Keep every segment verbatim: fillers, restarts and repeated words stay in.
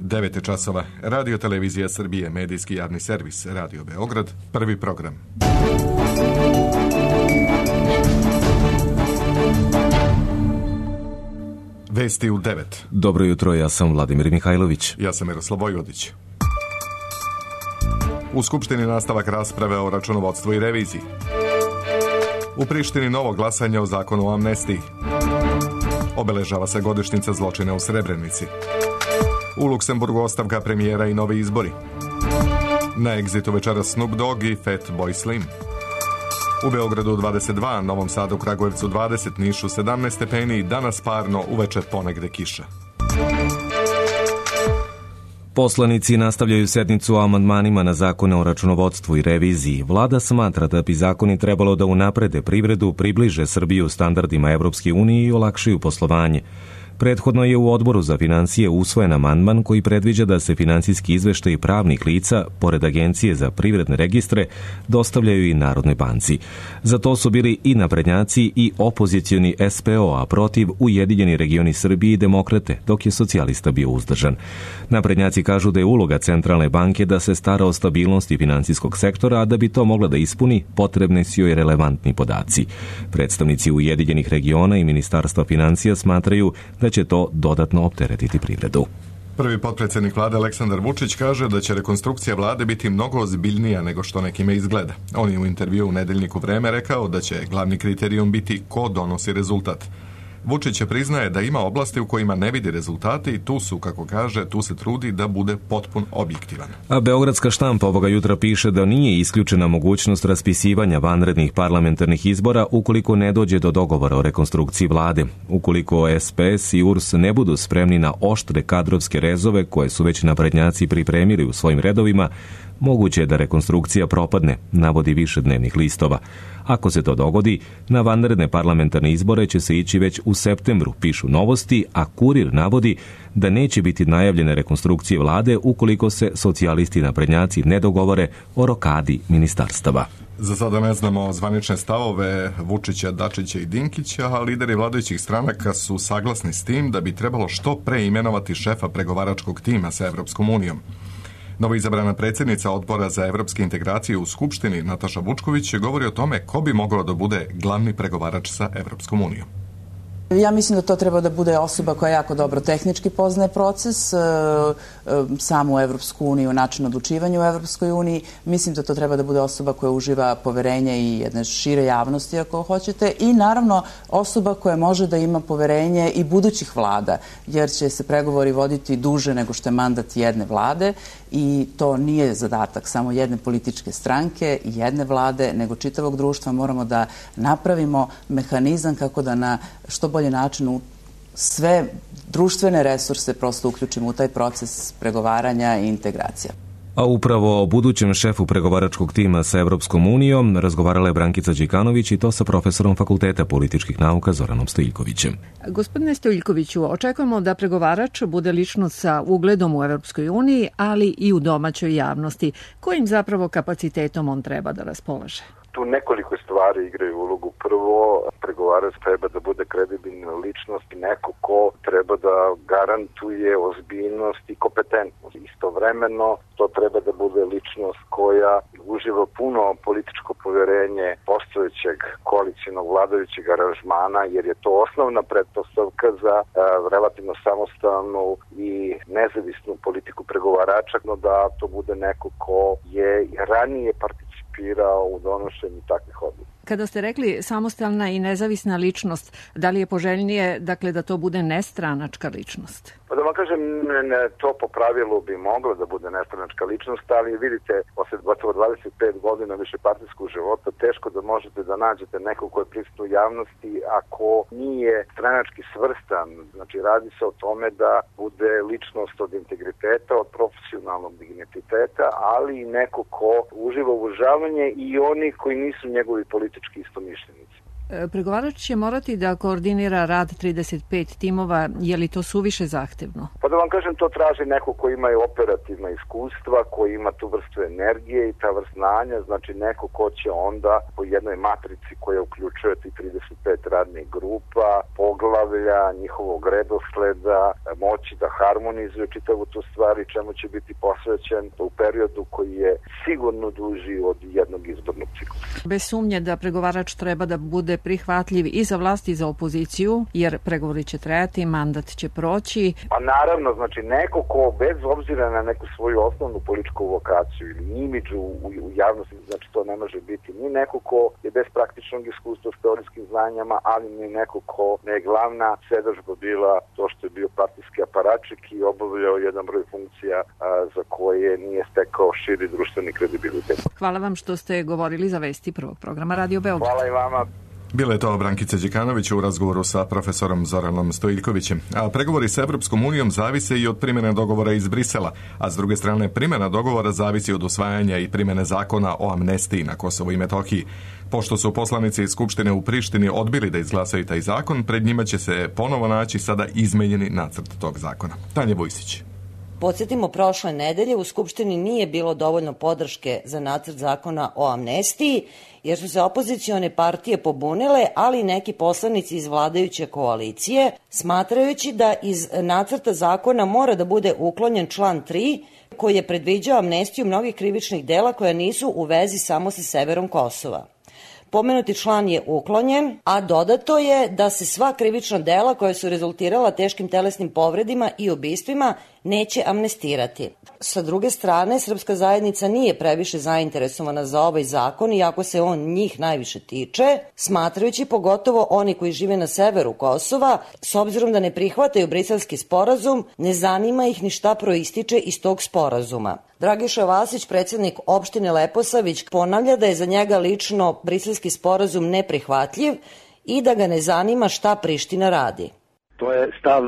devet časova. Radio Televizija Srbije, medijski javni servis, Radio Beograd, prvi program. Vesti u devet. Dobro jutro, ja sam Vladimir Mihajlović. Ja sam Miroslav Vojvodić. U Skupštini nastavak rasprave o računovodstvu i reviziji. U Prištini novo glasanje o zakonu o amnestiji. Obeležava se godišnjica zločina u Srebrenici. U Luksemburgu ostavka premijera i novi izbori. Na egzitu večera Snoop Dogg i Fatboy Slim. U Beogradu dvadeset dva, Novom Sadu, Kragujevcu dvadeset, Nišu sedamnaest stepeni, danas parno, uveče ponegde kiša. Poslanici nastavljaju sednicu o amandmanima na zakone o računovodstvu i reviziji. Vlada smatra da bi zakoni trebalo da unaprede privredu, približe Srbiju standardima Evropske unije i olakšaju poslovanje. Prethodno je u Odboru za finansije usvojen amandman koji predviđa da se finansijski izveštaji pravnih lica, pored Agencije za privredne registre, dostavljaju i Narodnoj banci. Za to su bili i naprednjaci i opozicioni S P O, a protiv Ujedinjeni regioni Srbije i Demokrate, dok je socijalista bio uzdržan. Naprednjaci kažu da je uloga Centralne banke da se stara o stabilnosti finansijskog sektora, a da bi to mogla da ispuni, potrebni su joj relevantni podaci. Predstavnici Ujedinjenih regiona i Ministarstva finansija smatraju da će to dodatno opteretiti privredu. Prvi potpredsjednik vlade Aleksandar Vučić kaže da će rekonstrukcija vlade biti mnogo ozbiljnija nego što nekime izgleda. On je u intervju u nedeljniku Vreme rekao da će glavni kriterijum biti ko donosi rezultat. Vučić je priznaje da ima oblasti u kojima ne vidi rezultate i tu su, kako kaže, tu se trudi da bude potpun objektivan. A beogradska štampa ovoga jutra piše da nije isključena mogućnost raspisivanja vanrednih parlamentarnih izbora ukoliko ne dođe do dogovora o rekonstrukciji vlade. Ukoliko S P S i U R S ne budu spremni na oštre kadrovske rezove koje su već naprednjaci pripremili u svojim redovima, moguće je da rekonstrukcija propadne, navodi više dnevnih listova. Ako se to dogodi, na vanredne parlamentarne izbore će se ići već u septembru, pišu Novosti, a Kurir navodi da neće biti najavljene rekonstrukcije vlade ukoliko se socijalisti i naprednjaci ne dogovore o rokadi ministarstava. Za sada ne znamo zvanične stavove Vučića, Dačića i Dinkića, a lideri vladajućih stranaka su saglasni s tim da bi trebalo što pre imenovati šefa pregovaračkog tima sa Evropskom unijom. Novoizabrana predsjednica Odbora za evropske integracije u Skupštini, Nataša Vučković, govori o tome ko bi mogao da bude glavni pregovarač sa Evropskom unijom. Ja mislim da to treba da bude osoba koja jako dobro tehnički poznaje proces, e, e, samu Evropsku uniju, način odlučivanja u Evropskoj uniji. Mislim da to treba da bude osoba koja uživa poverenje i jedne šire javnosti, ako hoćete, i naravno osoba koja može da ima poverenje i budućih vlada, jer će se pregovori voditi duže nego što je mandat jedne vlade i to nije zadatak samo jedne političke stranke i jedne vlade, nego čitavog društva. Moramo da napravimo mehanizam kako da na što bolje način u sve društvene resurse prosto uključimo u taj proces pregovaranja i integracija. A upravo o budućem šefu pregovaračkog tima sa Evropskom unijom razgovarala je Brankica Đikanović i to sa profesorom Fakulteta političkih nauka Zoranom Stojiljkovićem. Gospodine Stojiljkoviću, očekujemo da pregovarač bude ličnost sa ugledom u Evropskoj uniji, ali i u domaćoj javnosti. Kojim zapravo kapacitetom on treba da raspolaže? Tu nekoliko stvari igraju ulogu. Prvo, pregovarač treba da bude kredibilna ličnost i neko ko treba da garantuje ozbiljnost i kompetentnost. Istovremeno, to treba da bude ličnost koja uživa puno političko poverenje postojećeg koalicijnog vladajućeg aranžmana, jer je to osnovna pretpostavka za a, relativno samostalnu i nezavisnu politiku pregovarača, no da to bude neko ko je ranije participirao u donošenju takvih odluka. Kada ste rekli samostalna i nezavisna ličnost, da li je poželjnije dakle, da to bude nestranačka ličnost? Pa da vam kažem, ne, to po pravilu bi moglo da bude nestranačka ličnost, ali vidite, posle gotovo dvadeset pet godina višepartijskog života, teško da možete da nađete nekog ko je prisutan u javnosti ako nije stranački svrstan. Znači, radi se o tome da bude ličnost od integriteta, od profesionalnog digniteta, ali i neko ko uživa uvažavanje i oni koji nisu njegovi politički istomišljenici. Pregovarač će morati da koordinira rad trideset pet timova, je li to suviše zahtevno? Pa da vam kažem, to traži neko ko ima operativna iskustva, koji ima tu vrstu energije i ta vrst znanja, znači neko ko će onda po jednoj matrici koja uključuje ti trideset pet radnih grupa, poglavlja, njihovog redosleda, moći da harmonizuje čitavu tu stvar i čemu će biti posvećen u periodu koji je sigurno duži od jednog izbornog ciklusa. Bez sumnje da pregovarač treba da bude prihvatljiv i za vlast i za opoziciju, jer pregovori će trajati, mandat će proći. Pa naravno, znači neko ko bez obzira na neku svoju osnovnu političku vokaciju ili imidž u, u javnosti, znači to ne može biti ni neko ko je bez praktičnog iskustva s teorijskim znanjama, ali ni neko ko ne je glavna sedadžba bila to što je bio partijski aparačik i obavljao jedan broj funkcija a, za koje nije stekao širi društveni kredibilitet. Hvala vam što ste govorili za vesti prvog programa Radio Beograd. Hvala i vama. Bila je to Brankica Đekanović u razgovoru sa profesorom Zoranom Stojiljkovićem. A pregovori sa Evropskom unijom zavise i od primjene dogovora iz Brisela, a s druge strane primjena dogovora zavisi od usvajanja i primjene zakona o amnestiji na Kosovu i Metohiji. Pošto su poslanici iz Skupštine u Prištini odbili da izglasaju taj zakon, pred njima će se ponovo naći sada izmenjeni nacrt tog zakona. Tanja Vujsić. Podsjetimo, prošle nedelje u Skupštini nije bilo dovoljno podrške za nacrt zakona o amnestiji, jer su se opozicione partije pobunile, ali i neki poslanici iz vladajuće koalicije, smatrajući da iz nacrta zakona mora da bude uklonjen član tri, koji je predviđao amnestiju mnogih krivičnih dela koja nisu u vezi samo sa severom Kosova. Pomenuti član je uklonjen, a dodato je da se sva krivična dela koja su rezultirala teškim telesnim povredima i ubistvima neće amnestirati. Sa druge strane, srpska zajednica nije previše zainteresovana za ovaj zakon, iako se on njih najviše tiče, smatrajući pogotovo oni koji žive na severu Kosova, s obzirom da ne prihvataju briselski sporazum, ne zanima ih ni šta proističe iz tog sporazuma. Dragiša Vasić, predsjednik opštine Leposavić, ponavlja da je za njega lično briselski sporazum neprihvatljiv i da ga ne zanima šta Priština radi. To je stav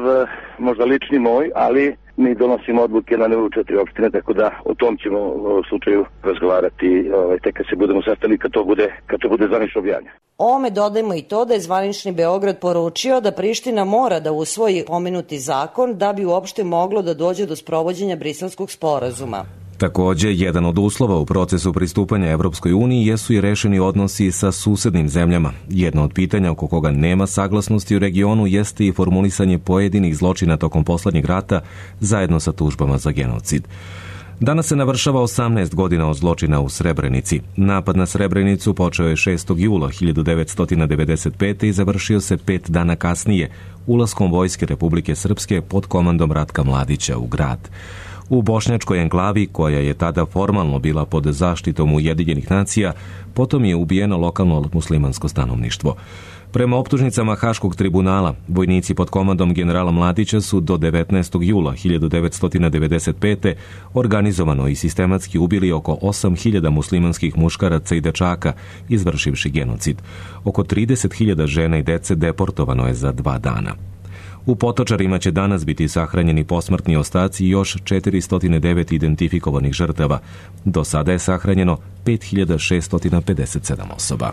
možda lični moj, ali mi donosimo odluke na nivou četiri opštine, tako da o tom ćemo u slučaju razgovarati ovaj, tek kad se budemo sastali, kad to bude, kad to bude zvanično objavljeno. Ovome dodajmo i to da je zvanični Beograd poručio da Priština mora da usvoji pomenuti zakon da bi uopšte moglo da dođe do sprovođenja briselskog sporazuma. Takođe, jedan od uslova u procesu pristupanja Evropskoj uniji jesu i rešeni odnosi sa susednim zemljama. Jedno od pitanja oko koga nema saglasnosti u regionu jeste i formulisanje pojedinih zločina tokom poslednjeg rata zajedno sa tužbama za genocid. Danas se navršava osamnaest godina od zločina u Srebrenici. Napad na Srebrenicu počeo je šestog jula hiljadu devetsto devedeset pete. i završio se pet dana kasnije ulaskom Vojske Republike Srpske pod komandom Ratka Mladića u grad. U bošnjačkoj enklavi, koja je tada formalno bila pod zaštitom Ujedinjenih nacija, potom je ubijeno lokalno muslimansko stanovništvo. Prema optužnicama Haškog tribunala, vojnici pod komandom generala Mladića su do devetnaestog jula hiljadu devetsto devedeset pete. organizovano i sistematski ubili oko osam hiljada muslimanskih muškaraca i dečaka, izvršivši genocid. Oko trideset hiljada žena i dece deportovano je za dva dana. U Potočarima će danas biti sahranjeni posmrtni ostaci još četiristo devet identifikovanih žrtava. Do sada je sahranjeno pet hiljada šeststo pedeset sedam osoba.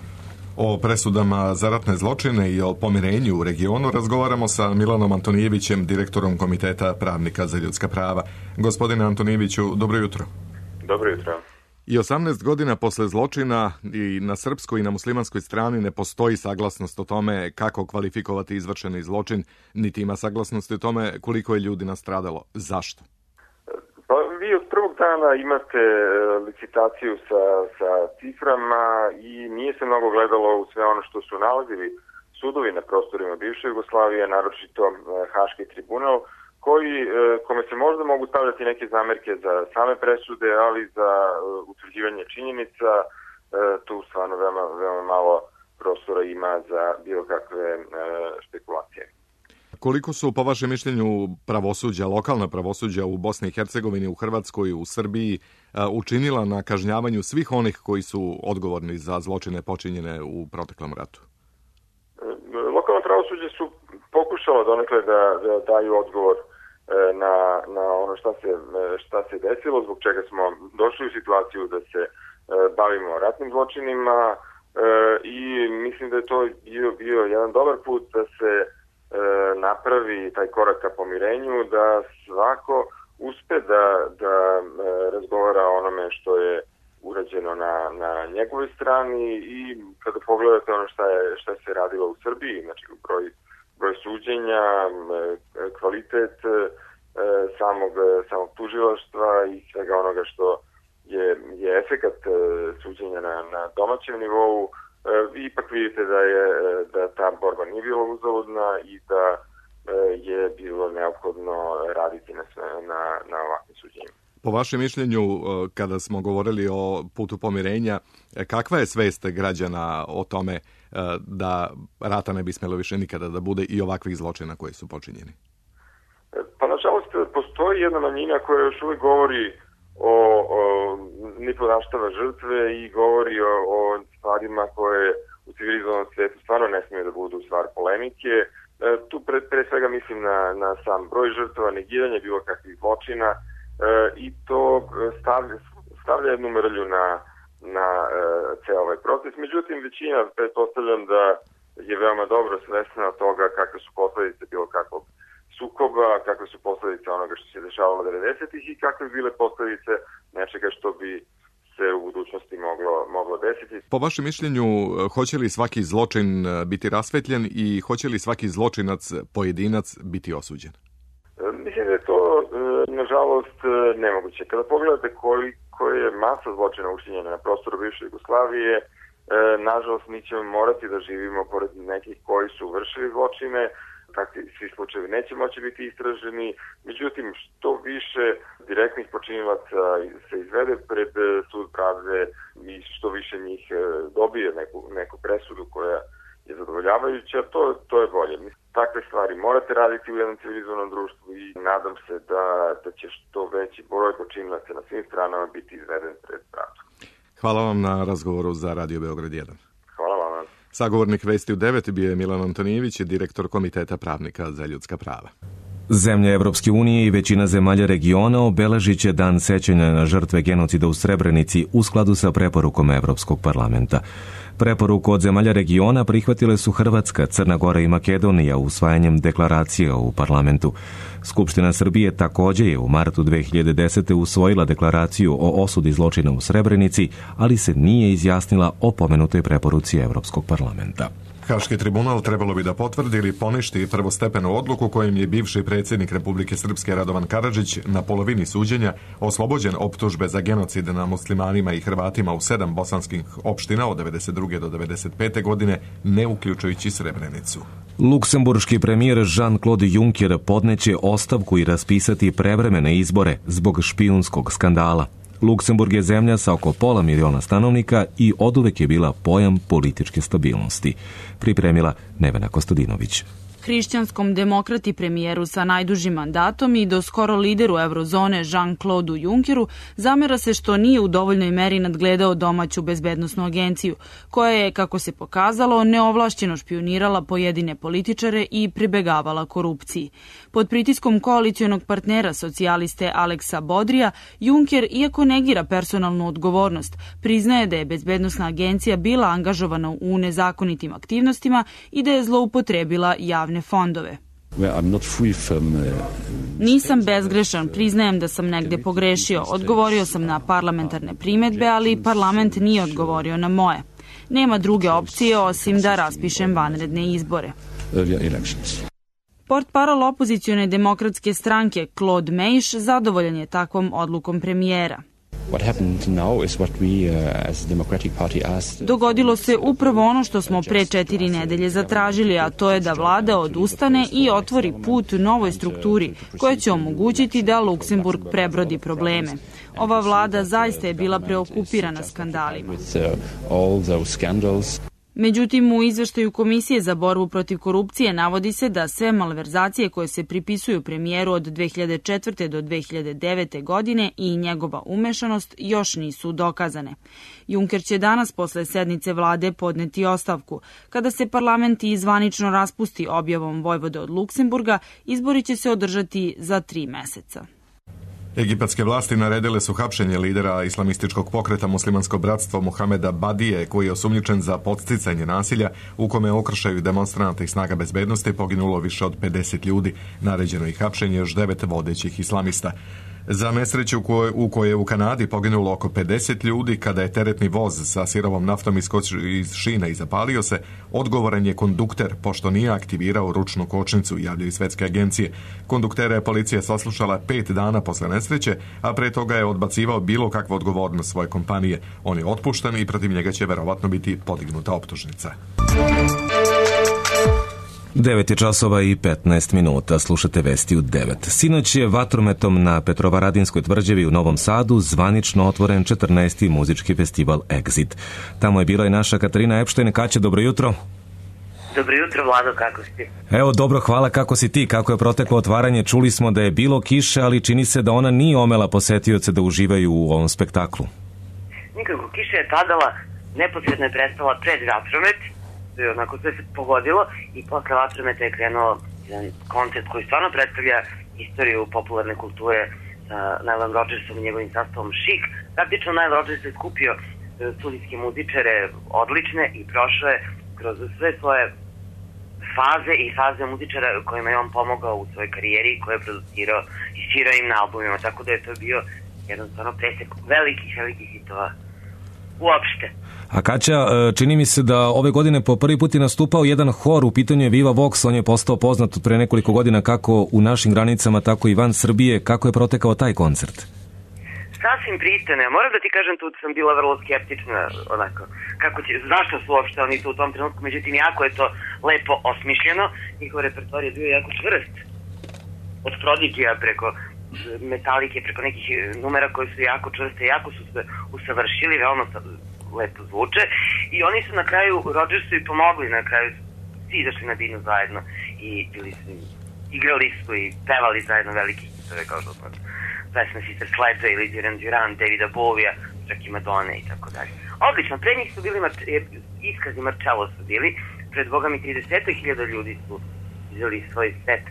O presudama za ratne zločine i o pomirenju u regionu razgovaramo sa Milanom Antonijevićem, direktorom Komiteta pravnika za ljudska prava. Gospodine Antonijeviću, dobro jutro. Dobro jutro. I osamnaest godina posle zločina i na srpskoj i na muslimanskoj strani ne postoji saglasnost o tome kako kvalifikovati izvršeni zločin, niti ima saglasnosti o tome koliko je ljudi nastradalo. Zašto? Pa vi od prvog dana imate licitaciju sa, sa ciframa i nije se mnogo gledalo u sve ono što su nalazili sudovi na prostorima bivše Jugoslavije, naročito Haški tribunal, koji, kome se možda mogu stavljati neke zamerke za same presude, ali za utvrđivanje činjenica tu stvarno veoma, veoma malo prostora ima za bilo kakve špekulacije. Koliko su, po vašem mišljenju, pravosuđa, lokalna pravosuđa u Bosni i Hercegovini, u Hrvatskoj, u Srbiji učinila na kažnjavanju svih onih koji su odgovorni za zločine počinjene u proteklom ratu? Lokalna pravosuđa su pokušala donekle da, da daju odgovor na, na ono šta se, šta se desilo, zbog čega smo došli u situaciju da se bavimo ratnim zločinima. i mislim da je to bio, bio jedan dobar put da se e, napravi taj korak ka pomirenju, da svako uspe da, da e, razgovara o onome što je urađeno na, na njegovoj strani i kada pogledate ono šta, je, šta se radilo u Srbiji, znači broj, broj suđenja, kvalitet e, samog, samog tužilaštva i svega onoga što je, je efekat e, suđenja na, na domaćem nivou, e, ipak vidite da je da ta borba nije bila uzaludna i da e, je bilo neophodno raditi na, na, na ovakvim suđenjima. Po vašem mišljenju, kada smo govorili o putu pomirenja, kakva je svest građana o tome da rata ne bi smjelo više nikada da bude i ovakvih zločina koji su počinjeni? Pa nažalost postoji jedna manjina koja još uvijek govori o, o ne podaštava žrtve i govori o, o stvarima koje u civilizovanom svijetu stvarno ne smije da budu stvar polemike. Tu pre, pre svega mislim na, na sam broj žrtava, negiranje bilo kakvih zločina, E, i to stavlja, stavlja jednu mrlju na, na e, ceo ovaj proces. Međutim, većina, pretpostavljam da je veoma dobro svesna toga kakve su posledice bilo kakvog sukoba, kakve su posledice onoga što se dešavalo devedesetih i kakve bile posledice nečega što bi se u budućnosti moglo, moglo desiti. Po vašem mišljenju, hoće li svaki zločin biti rasvetljen i hoće li svaki zločinac, pojedinac, biti osuđen? Mislim da je to, nažalost, nemoguće. Kada pogledate koliko je masa zločina učinjena na prostoru bivše Jugoslavije, nažalost, mi ćemo morati da živimo pored nekih koji su vršili zločine, takvi svi slučajevi neće moći biti istraženi. Međutim, što više direktnih počinilaca se izvede pred sud pravde i što više njih dobije neku, neku presudu koja je zadovoljavajuća, to, to je bolje. Takve stvari morate raditi u jednom civilizovanom društvu i nadam se da, da će što veći broj počinilaca na svim stranama biti izveden pred pravdu. Hvala vam na razgovoru za Radio Beograd jedan. Hvala vam. Sagovornik Vesti u devet bio je Milan Antonijević, direktor Komiteta pravnika za ljudska prava. Zemlje Evropske unije i većina zemalja regiona obeležit će dan sećanja na žrtve genocida u Srebrenici u skladu sa preporukom Evropskog parlamenta. Preporuku od zemalja regiona prihvatile su Hrvatska, Crna Gora i Makedonija usvajanjem deklaracija u parlamentu. Skupština Srbije također je u martu dve hiljade desete. usvojila deklaraciju o osudi zločina u Srebrenici, ali se nije izjasnila o pomenutoj preporuci Evropskog parlamenta. Haški tribunal trebalo bi da potvrdi ili poništi prvostepenu odluku kojim je bivši predsjednik Republike Srpske Radovan Karadžić na polovini suđenja oslobođen optužbe za genocid na muslimanima i Hrvatima u sedam bosanskih opština od devedeset druge do devedeset pete. godine, ne uključujući Srebrenicu. Luksemburški premijer Jean-Claude Juncker podneće ostavku i raspisati prevremene izbore zbog špijunskog skandala. Luksemburg je zemlja sa oko pola miliona stanovnika i oduvek je bila pojam političke stabilnosti. Pripremila Nevena Kostadinović. Hrišćanskom demokrati premijeru sa najdužim mandatom i do skoro lideru eurozone Jean-Claude Junckeru zamera se što nije u dovoljnoj meri nadgledao domaću bezbednosnu agenciju, koja je, kako se pokazalo, neovlašćeno špijunirala pojedine političare i pribegavala korupciji. Pod pritiskom koalicionog partnera socijaliste Aleksa Bodrija, Juncker, iako negira personalnu odgovornost, priznaje da je bezbednosna agencija bila angažovana u nezakonitim aktivnostima i da je zloupotrebila javne fondove. Nisam bezgrešan, priznajem da sam negde pogrešio. Odgovorio sam na parlamentarne primedbe, ali parlament nije odgovorio na moje. Nema druge opcije osim da raspišem vanredne izbore. Portparol opozicione demokratske stranke Claude Meiš zadovoljan je takvom odlukom premijera. Dogodilo se upravo ono što smo pre četiri nedelje zatražili, a to je da vlada odustane i otvori put novoj strukturi koja će omogućiti da Luksemburg prebrodi probleme. Ova vlada zaista je bila preokupirana skandalima. Međutim, u izveštaju Komisije za borbu protiv korupcije navodi se da sve malverzacije koje se pripisuju premijeru od dve hiljade četvrte. do dve hiljade devete. godine i njegova umešanost još nisu dokazane. Juncker će danas posle sednice vlade podneti ostavku. Kada se parlament i zvanično raspusti objavom vojvode od Luksemburga, izbori će se održati za tri meseca. Egipatske vlasti naredile su hapšenje lidera islamističkog pokreta Muslimansko bratstvo Muhameda Badije, koji je osumnjičen za podsticanje nasilja u kome okršaju demonstranata i snaga bezbednosti, poginulo više od pedeset ljudi. Naređeno je hapšenje još devet vodećih islamista. Za nesreću u kojoj, u kojoj je u Kanadi poginulo oko pedeset ljudi kada je teretni voz sa sirovom naftom iskočio iz šina i zapalio se, odgovoran je kondukter, pošto nije aktivirao ručnu kočnicu, javljaju svetske agencije. Konduktera je policija saslušala pet dana posle nesreće, a pre toga je odbacivao bilo kakvu odgovornost svoje kompanije. On je otpušten i protiv njega će verovatno biti podignuta optužnica. devet je časova i petnaest minuta, slušate vesti u devet. Sinoć je vatrometom na Petrovaradinskoj tvrđavi u Novom Sadu zvanično otvoren četrnaesti muzički festival Exit. Tamo je bila i naša Katarina Epštajn. Kaća, dobro jutro. Dobro jutro, Vlado, kako si? Evo, dobro, hvala, kako si ti, kako je proteklo otvaranje? Čuli smo da je bilo kiše, ali čini se da ona nije omela posetioce da uživaju u ovom spektaklu. Nikako, kiša je padala, neposredno je prestala pred vatromet, onako sve se pogodilo i posle vatrometa je krenuo jedan koncert koji stvarno predstavlja istoriju popularne kulture sa Nile Rodgersom i njegovim sastavom Chic. Praktično Nile Rodgers je skupio studijske muzičare odlične i prošao je kroz sve svoje faze i faze muzičara kojima je on pomogao u svojoj karijeri, koje je producirao i svirao im na albumima, tako da je to bio jedan stvarno presek velikih, velikih hitova uopšte. A Kaća, čini mi se da ove godine po prvi put je nastupao jedan hor, u pitanju je Viva Vox, on je postao poznat pre nekoliko godina kako u našim granicama, tako i van Srbije. Kako je protekao taj koncert? Sasvim pristojno. Ja moram da ti kažem, tu sam bila vrlo skeptična, onako, kako će, zašto su uopšte oni tu u tom trenutku, međutim, jako je to lepo osmišljeno, njihov repertoar je bio jako čvrst, od Prodigija preko Metalike, preko nekih numera koji su jako čvrste, jako su se usavršili, veoma lepo zvuče i oni su na kraju, Rodgersu i pomogli, na kraju svi izašli na binu zajedno i bili su, igrali su i pevali zajedno veliki hitove kao što smo pesme Sister Sledge ili Duran Duran, Davida Bovija, čak i Madone i tako dalje. Odlično, pre njih su bili iskazi Marcello su bili, pred Boga mi trideset hiljada ljudi su izveli svoj set.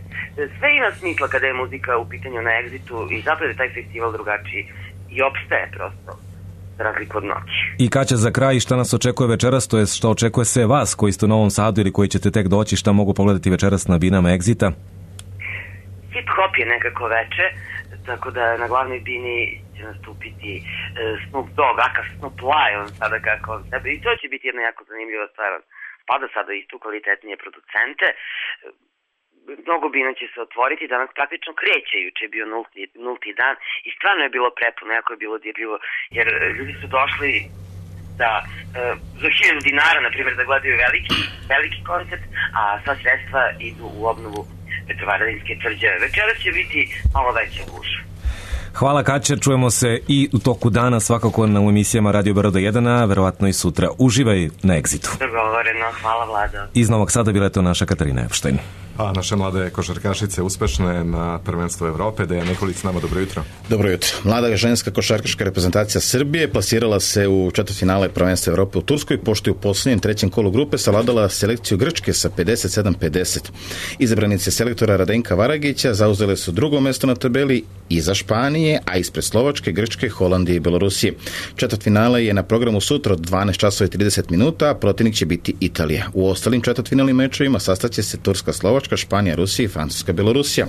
Sve ima smisla kada je muzika u pitanju na Exitu i zapravo je taj festival drugačiji i opstaje prosto, za razliku od noći. I Kaća, za kraj, šta nas očekuje večeras, to je što očekuje sve vas koji ste u Novom Sadu ili koji ćete tek doći, šta mogu pogledati večeras na binama Exita? Hip-hop je nekako veče, tako da na glavnoj bini će nastupiti uh, Snoop Dogg, aka Snoop Lion, sada kako on sebe, i to će biti jedna jako zanimljiva stvar. Spada sada istu kvalitetnije producente, mnogo bina će se otvoriti, danas praktično kreće, juče je bio nulti, nulti dan i stvarno je bilo prepuno, jako je bilo dirljivo, jer ljudi su došli da uh, za hiljadu dinara, na primjer, da gledaju veliki, veliki koncert, a sva sredstva idu u obnovu Petrovaradinske tvrđave. Večeras će biti malo veća gužva. Hvala Kaća, čujemo se i u toku dana svakako na emisijama Radio Beograd jedan, a verovatno i sutra. Uživaj na Exitu. Dogovoreno, hvala Vlado. Iz Novog Sada bila je to naša Katarina Epštajn. A naše mlade košarkašice uspešne na prvenstvu Evrope. Dejan Nikolić s nama, dobro jutro. Dobro jutro. Mlada ženska košarkaška reprezentacija Srbije plasirala se u četvrtfinale prvenstva Evrope u Turskoj, pošto je u posljednjem trećem kolu grupe savladala selekciju Grčke sa pedeset sedam pedeset. Izabranice selektora Radenka Varagića zauzele su drugo mesto na tabeli iza Španije, a ispred Slovačke, Grčke, Holandije i Belorusije. Četvrtfinale je na programu sutra od dvanaest časova i trideset minuta, a protivnik će biti Italija. U ostalim četvrtfinalnim mečevima sastaće se Turska, Slovačka, Španija, Rusija i Francuska, Belorusija.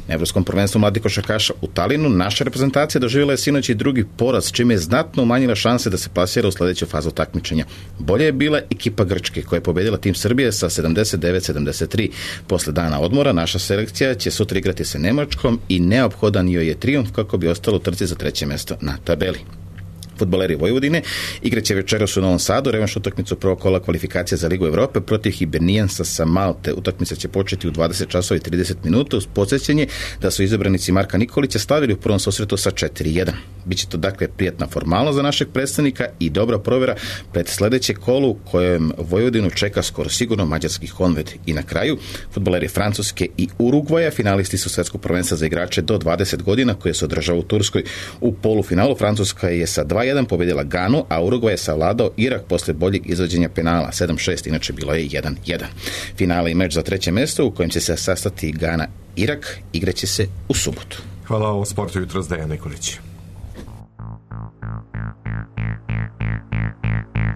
Na Evropskom prvenstvu mladih košarkaša u Talinu naša reprezentacija doživjela je sinoć i drugi poraz, čime je znatno umanjila šanse da se plasira u sledeću fazu takmičenja. Bolje je bila ekipa Grčke, koja je pobedila tim Srbije sa sedamdeset devet sedamdeset tri. Posle dana odmora naša selekcija će sutra igrati sa Nemačkom i neophodan joj je trijumf kako bi ostalo u trci za treće mesto na tabeli. Fudbaleri Vojvodine igraće večeras u Novom Sadu revanš utakmicu prvog kola kvalifikacija za Ligu Evrope protiv Hibernijansa sa Malte. Utakmica će početi u dvadeset časova i trideset minuta uz podsjećanje da su izabranici Marka Nikolića slavili u prvom susretu sa četiri jedan. Biće to dakle prijatna formalnost za našeg predstavnika i dobra provjera pred sledeće kolu u kojem Vojvodinu čeka skoro sigurno mađarski Honved. I na kraju, fudbaleri Francuske i Urugvaja finalisti su svetskog prvenstva za igrače do dvadeset godina koje se održava u Turskoj. U polufinalu Francuska je sa dva jedan pobedila Ganu, a Urugvaj je savladao Irak posle boljeg izvođenja penala sedam šest, inače bilo je jedan jedan. Finale i meč za treće mesto u kojem će se sastati Gana Irak igraće se u subotu. Hvala, o sportu jutros Dejan Nikolić.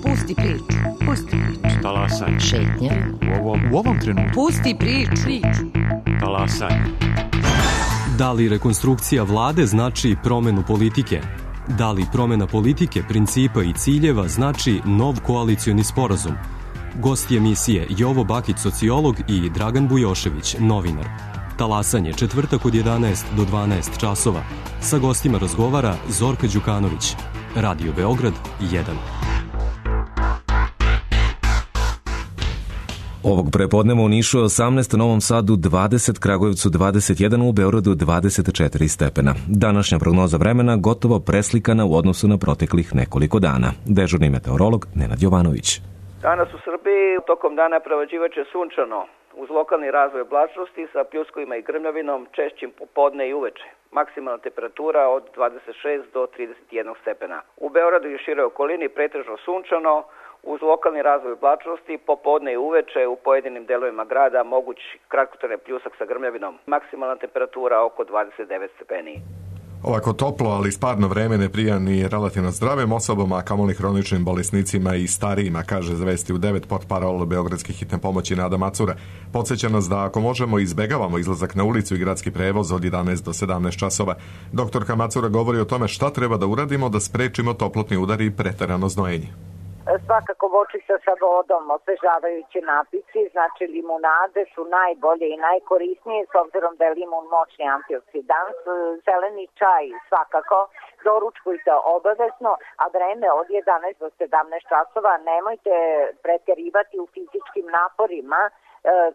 Pusti priču, pusti priču. Talasaj. Šetnja. U ovom, u ovom trenutku. Pusti priču, priču. Talasaj. Da li rekonstrukcija vlade znači promenu politike? Da li promena politike, principa i ciljeva znači nov koalicioni sporazum? Gosti emisije Jovo Bakić, sociolog, i Dragan Bujošević, novinar. Talasanje, četvrtak od jedanaest do dvanaest časova. Sa gostima razgovara Zorka Đukanović. Radio Beograd jedan. Ovog prepodneva u Nišu je osamnaest, Novom Sadu dvadeset, Kragujevcu dvadeset jedan, u Beogradu dvadeset četiri stepena. Današnja prognoza vremena gotovo preslikana u odnosu na proteklih nekoliko dana. Dežurni meteorolog Nenad Jovanović. Danas u Srbiji tokom dana prevađivaće sunčano, uz lokalni razvoj oblačnosti sa pljuskovima i grmljavinom, češćim popodne i uveče. Maksimalna temperatura od dvadeset šest do trideset jedan stepena. U Beogradu i široj okolini pretežno sunčano, uz lokalni razvoj oblačnosti, popodne i uveče u pojedinim delovima grada moguć kratkotrajni pljusak sa grmljavinom. Maksimalna temperatura oko dvadeset devet stepeni. Ovako toplo, ali sparno vreme ne prija ni relativno zdravim osobama, a kamoli hroničnim bolesnicima i starijima, kaže zvesti u devet portparol beogradske hitne pomoći Nada Macura. Podsjeća nas da ako možemo izbegavamo izlazak na ulicu i gradski prevoz od jedanaest do sedamnaest časova. Doktorka Macura govori o tome šta treba da uradimo da sprečimo toplotni udar i preterano znojenje. Svakako voćica sa vodom, osvežavajući napitci, znači limunade su najbolje i najkorisnije s obzirom da je limun moćni antioksidans. Zeleni čaj svakako, doručkujte obavezno, a vreme od jedanaest do sedamnaest časova nemojte preterivati u fizičkim naporima.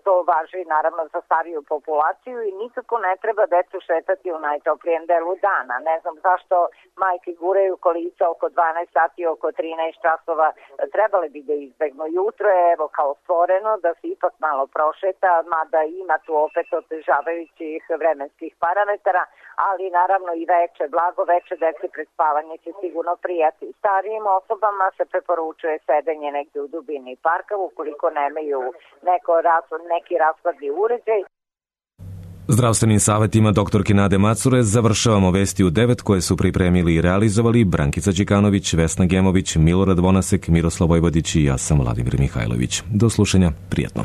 To važi naravno za stariju populaciju i nikako ne treba decu šetati u najtoplijem delu dana. Ne znam zašto majke guraju kolica oko dvanaest sati, oko trinaest časova. Trebali bi da izbegnu. Jutro je evo kao stvoreno da se ipak malo prošeta, mada ima tu opet otežavajućih vremenskih parametara, ali naravno i veče, blago veče deci pred spavanje će sigurno prijati. Starijim osobama se preporučuje sedenje negde u dubini parka ukoliko nemaju neko neki raskladni uređaj. Zdravstvenim savjetima doktorke Nade Macure završavamo vesti u devet koje su pripremili i realizovali Brankica Đikanović, Vesna Gemović, Milorad Vonasek, Miroslav Vojvodić i ja sam Vladimir Mihajlović. Do slušanja, prijatno.